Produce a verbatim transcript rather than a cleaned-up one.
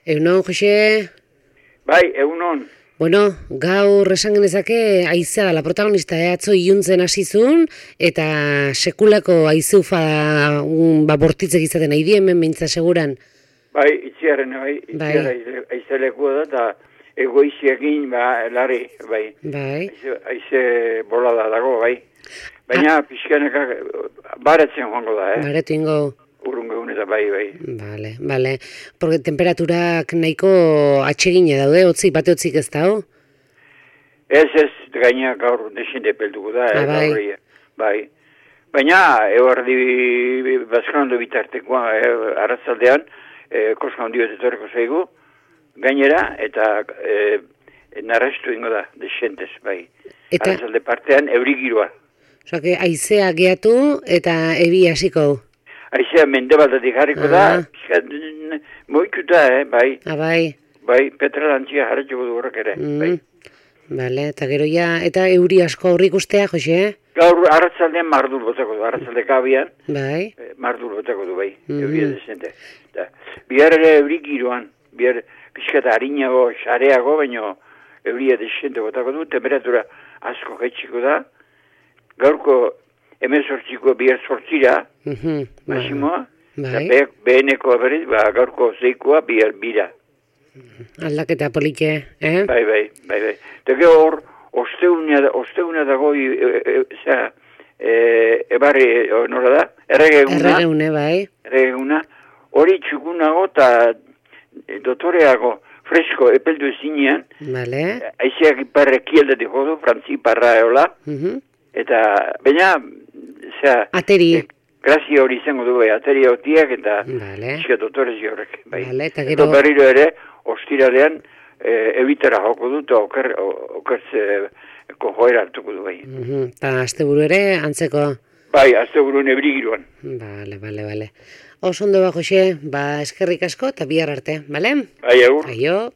Egunon, Jose? Bai, egunon. Bueno, gaur esan genezake haizea dela protagonista, eh? Atzo iluntzen hasizun, eta sekulako haizufa un, ba, bortitzek izaten nahi di hemen mintza seguran. Bai, itziarren, bai, itziarra aizelekua da, eta egoiziekin, ba, lari, bai. Bai. Aize, aize bolada dago, bai. Baina ah. pixkaneka baretzen joango da, eh? Baretu ingo. Urrungo egun eta bai, bai. Bale, bale. Porque temperaturak nahiko atsegine daude, otzi, bate otzik ez da, ho? Ez, ez, gaina gaur desinde pelduko da, ah, eh, bai. gaur, bai. Baina, eguerdi bazkanondo bitartekoa, eh, arratzaldean, eh, koska hondio etorreko zaigu, gainera, eta eh, narrastu ingo da, desentez, bai. Eta... arratzalde partean, euri giroa. Osa, que aizea geatu eta ebi hasiko. Aizea mendebaldatik jarriko ah. da, moituta, eh, bai. Ah, bai. Bai, petralantzia jarretxeko du horrek ere, mm. bai. Bale, eta gero ja, eta euri asko aurrik ustea, Jose? Gaur, arratzaldean mardur botako du, arratzalde kabian, bai. Eh, mardur botako du, bai, mm. euria desente. Da, bihar ere euri giroan, bihar pixkata harinago, xareago, baino euria desente botako du, temperatura asko jaitsiko da, gaurko hemen sortziko bihar sortzira, mm -hmm. masimoa, bai. Be, beheneko berriz, ba, gaurko zeikoa bihar bira. Aldaketa polike, eh? Bai, bai, bai, bai. Eta gero hor, osteuna, osteuna dago, e, e, e, e, ebarri, e, nola da? Erregeguna. Erregegune, bai. Erregeguna. Hori txukunago eta dotoreago fresko epeldu ezinean. Vale. Aizeak iparre kieldatik jodu, frantzi parra eola. Uh -huh. Eta, baina, zera... Ateri. E, grazia hori izango du, bai, ateri otiak eta vale. Zika dotorezi horrek. Bai. Vale, eta gero... Eta berriro ere, ostiralean, e, ebitara joko dut, oker, okertze joera hartuko du, bai. Uh -huh. Eta asteburu ere, antzeko... Bai, asteburuen ebrigiruan. Bale, bale, bale. Oso ondo ba, Jose, ba, eskerrik asko eta bihar arte, bale? Bai, agur. Aio.